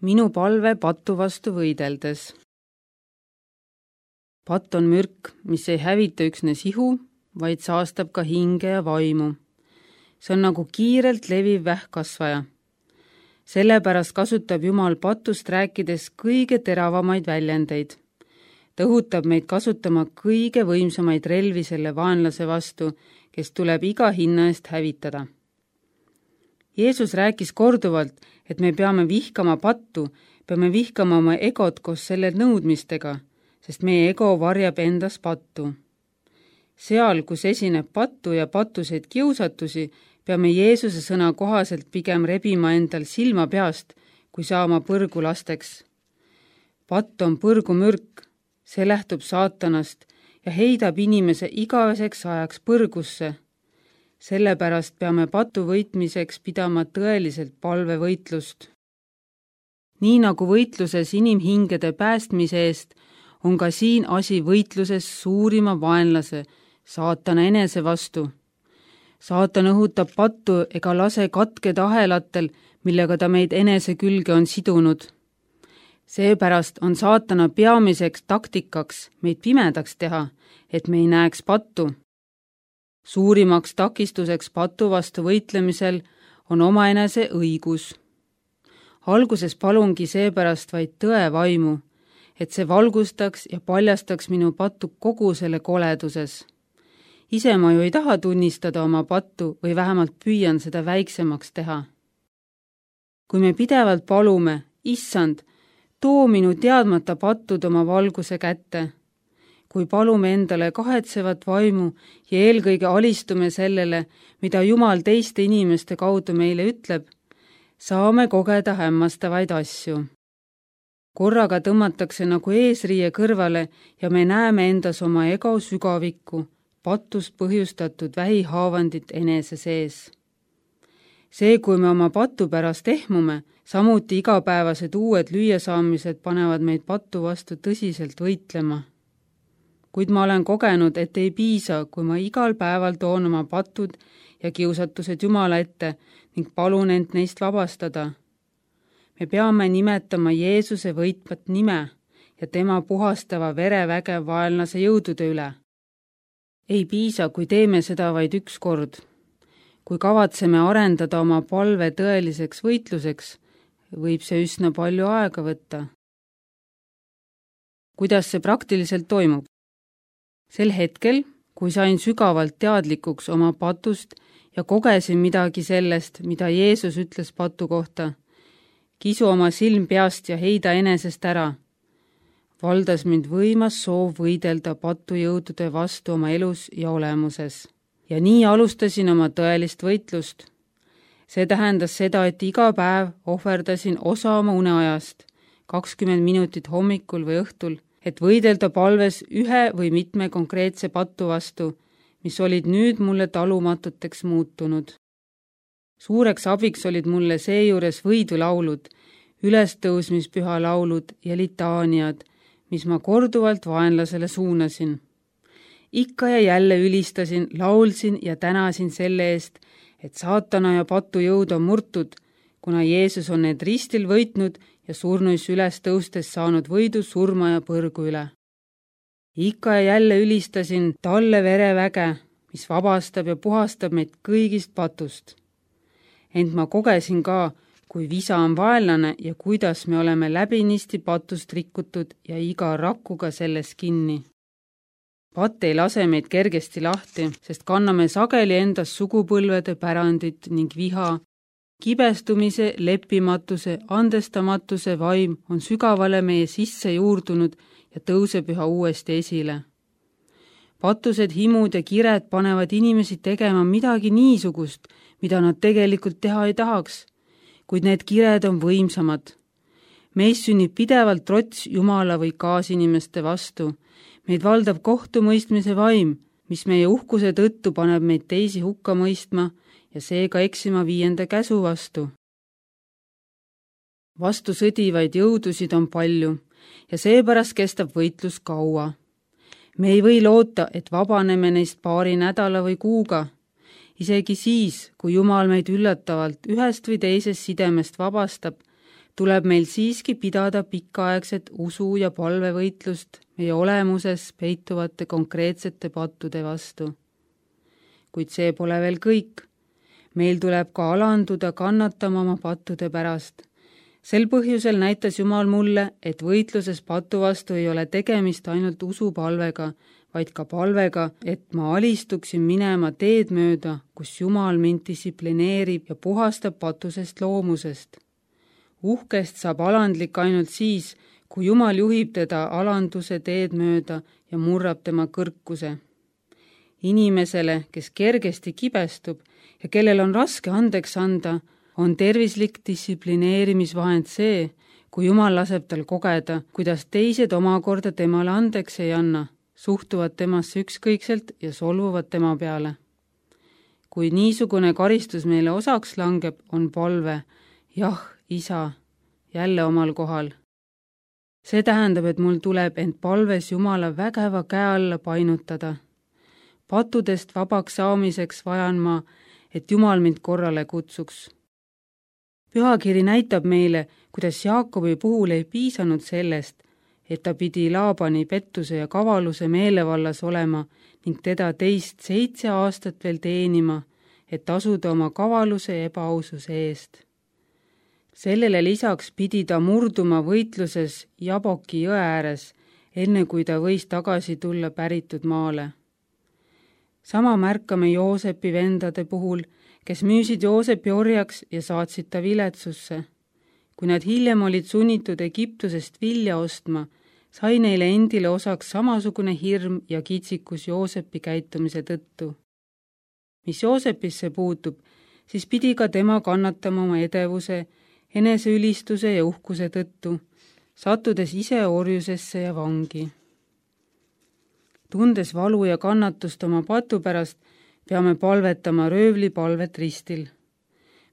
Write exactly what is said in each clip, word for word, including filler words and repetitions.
minu palve pattu vastu võideldes. Patt on mürk, mis ei hävita üksnes ihu, vaid saastab ka hinge ja vaimu. See on nagu kiirelt leviv vähkkasvaja. Sellepärast kasutab Jumal patust rääkides kõige teravamaid väljendeid. Ta õhutab meid kasutama kõige võimsamaid relvi selle vaenlase vastu, kes tuleb iga hinna eest hävitada. Jeesus rääkis korduvalt, et me peame vihkama pattu, peame vihkama oma egot koos selle nõudmistega, sest meie ego varjab endas pattu. Seal, kus esineb pattu ja pattuseid kiusatusi, peame Jeesuse sõna kohaselt pigem rebima endal silma peast, kui saama põrgu lasteks. Patt on põrgumürk, see lähtub saatanast ja heidab inimese igaveseks ajaks põrgusse. Sellepärast peame patu võitmiseks pidama tõeliselt palvevõitlust. Nii nagu võitluses inimhingede päästmise eest, on ka siin asi võitluses suurima vaenlase, saatana enese vastu. Saatan õhutab pattu ega lase katkeda ahelatel, millega ta meid enese külge on sidunud. Seepärast on saatana peamiseks taktikaks meid pimedaks teha, et me ei näeks pattu. Suurimaks takistuseks patu vastu võitlemisel on omaenese õigus. Alguses palungi seepärast vaid tõe vaimu, et see valgustaks ja paljastaks minu pattu kogu selle koleduses. Ise ma ju ei taha tunnistada oma pattu või vähemalt püüan seda väiksemaks teha. Kui me pidevalt palume, issand, too minu teadmata pattud oma valguse kätte. Kui palume endale kahetsevat vaimu ja eelkõige alistume sellele, mida Jumal teiste inimeste kaudu meile ütleb, saame kogeda hämmastavaid asju. Korraga tõmmatakse nagu eesriie kõrvale ja me näeme endas oma ego sügavikku, patust põhjustatud vähihaavandit enese sees. See, kui me oma patu pärast ehmume, samuti igapäevased uued lüüasaamised panevad meid patu vastu tõsiselt võitlema. Kuid ma olen kogenud, et ei piisa, kui ma igal päeval toon oma patud ja kiusatused Jumala ette ning palun end neist vabastada. Me peame nimetama Jeesuse võitvat nime ja tema puhastava vereväge vaenlase jõudude üle. Ei piisa, kui teeme seda vaid üks kord. Kui kavatseme arendada oma palve tõeliseks võitluseks, võib see üsna palju aega võtta. Kuidas see praktiliselt toimub? Sel hetkel, kui sain sügavalt teadlikuks oma patust ja kogesin midagi sellest, mida Jeesus ütles patu kohta, kisu oma silm peast ja heida enesest ära, valdas mind võimas soov võidelda patujõudude vastu oma elus ja olemuses. Ja nii alustasin oma tõelist võitlust. See tähendas seda, et iga päev ohverdasin osa oma uneajast, kakskümmend minutit hommikul või õhtul, et võidelda palves ühe või mitme konkreetse pattu vastu, mis olid nüüd mulle talumatuteks muutunud. Suureks abiks olid mulle seejuures võidulaulud, ülestõusmispüha laulud ja litaaniad, mis ma korduvalt vaenlasele suunasin. Ikka ja jälle ülistasin, laulsin ja tänasin selle eest, et saatana ja patu jõud on murtud, kuna Jeesus on need ristil võitnud ja surnuis üles tõustes saanud võidu surma ja põrgu üle. Ikka ja jälle ülistasin talle vereväge, mis vabastab ja puhastab meid kõigist patust. Ent ma kogesin ka, kui visa on vaenlane ja kuidas me oleme läbinisti patust rikutud ja iga rakkuga selles kinni. Patt ei lase meid kergesti lahti, sest kanname sageli endas sugupõlvede pärandit ning viha. Kibestumise, leppimatuse, andestamatuse vaim on sügavale meie sisse juurdunud ja tõuseb üha uuesti esile. Patused, himud ja kired panevad inimesi tegema midagi niisugust, mida nad tegelikult teha ei tahaks, kuid need kired on võimsamad. Meis sünnib pidevalt trots Jumala või kaasinimeste vastu. Meid valdab kohtumõistmise vaim, mis meie uhkuse tõttu paneb meid teisi hukka mõistma ja seega eksima viienda käsu vastu. Vastu sõdivaid jõudusid on palju ja seepärast kestab võitlus kaua. Me ei või loota, et vabaneme neist paari nädala või kuuga. Isegi siis, kui Jumal meid üllatavalt ühest või teisest sidemest vabastab, tuleb meil siiski pidada pikaaegset usu- ja palvevõitlust meie olemuses peituvate konkreetsete pattude vastu. Kuid see pole veel kõik. Meil tuleb ka alanduda kannatama oma pattude pärast. Sel põhjusel näitas Jumal mulle, et võitluses patu vastu ei ole tegemist ainult usupalvega, vaid ka palvega, et ma alistuksin minema teed mööda, kus Jumal mind distsiplineerib ja puhastab patusest loomusest. Uhkest saab alandlik ainult siis, kui Jumal juhib teda alanduse teed mööda ja murrab tema kõrkuse. Inimesele, kes kergesti kibestub ja kellel on raske andeks anda, on tervislik distsiplineerimisvahend see, kui Jumal laseb tal kogeda, kuidas teised omakorda temale andeks ei anna, suhtuvad temasse ükskõikselt ja solvuvad tema peale. Kui niisugune karistus meile osaks langeb, on palve, jah, isa, jälle omal kohal. See tähendab, et mul tuleb end palves Jumala vägeva käe alla painutada. Patudest vabaks saamiseks vajan ma, et Jumal mind korrale kutsuks. Pühakiri näitab meile, kuidas Jaakobi puhul ei piisanud sellest, et ta pidi Laabani pettuse ja kavaluse meelevallas olema ning teda teist seitse aastat veel teenima, et tasuda oma kavaluse ja ebaaususe eest. Sellele lisaks pidi ta murduma võitluses Jaboki jõe ääres, enne kui ta võis tagasi tulla päritud maale. Sama märkame Joosepi vendade puhul, kes müüsid Joosepi orjaks ja saatsid ta viletsusse. Kui nad hiljem olid sunnitud Egiptusest vilja ostma, sai neile endile osaks samasugune hirm ja kitsikus Joosepi käitumise tõttu. Mis Joosepisse puutub, siis pidi ka tema kannatama oma edevuse, eneseülistuse ja uhkuse tõttu, sattudes ise orjusesse ja vangi. Tundes valu ja kannatust oma patu pärast, peame palvetama röövli palvet ristil.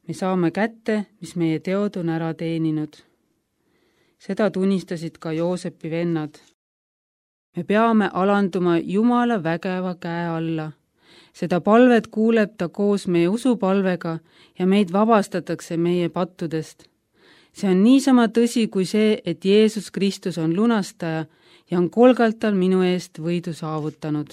Me saame kätte, mis meie teod on ära teeninud. Seda tunnistasid ka Joosepi vennad. Me peame alanduma Jumala vägeva käe alla. Seda palvet kuuleb ta koos meie usupalvega ja meid vabastatakse meie pattudest. See on niisama tõsi kui see, et Jeesus Kristus on lunastaja ja on kolgaltal minu eest võidu saavutanud.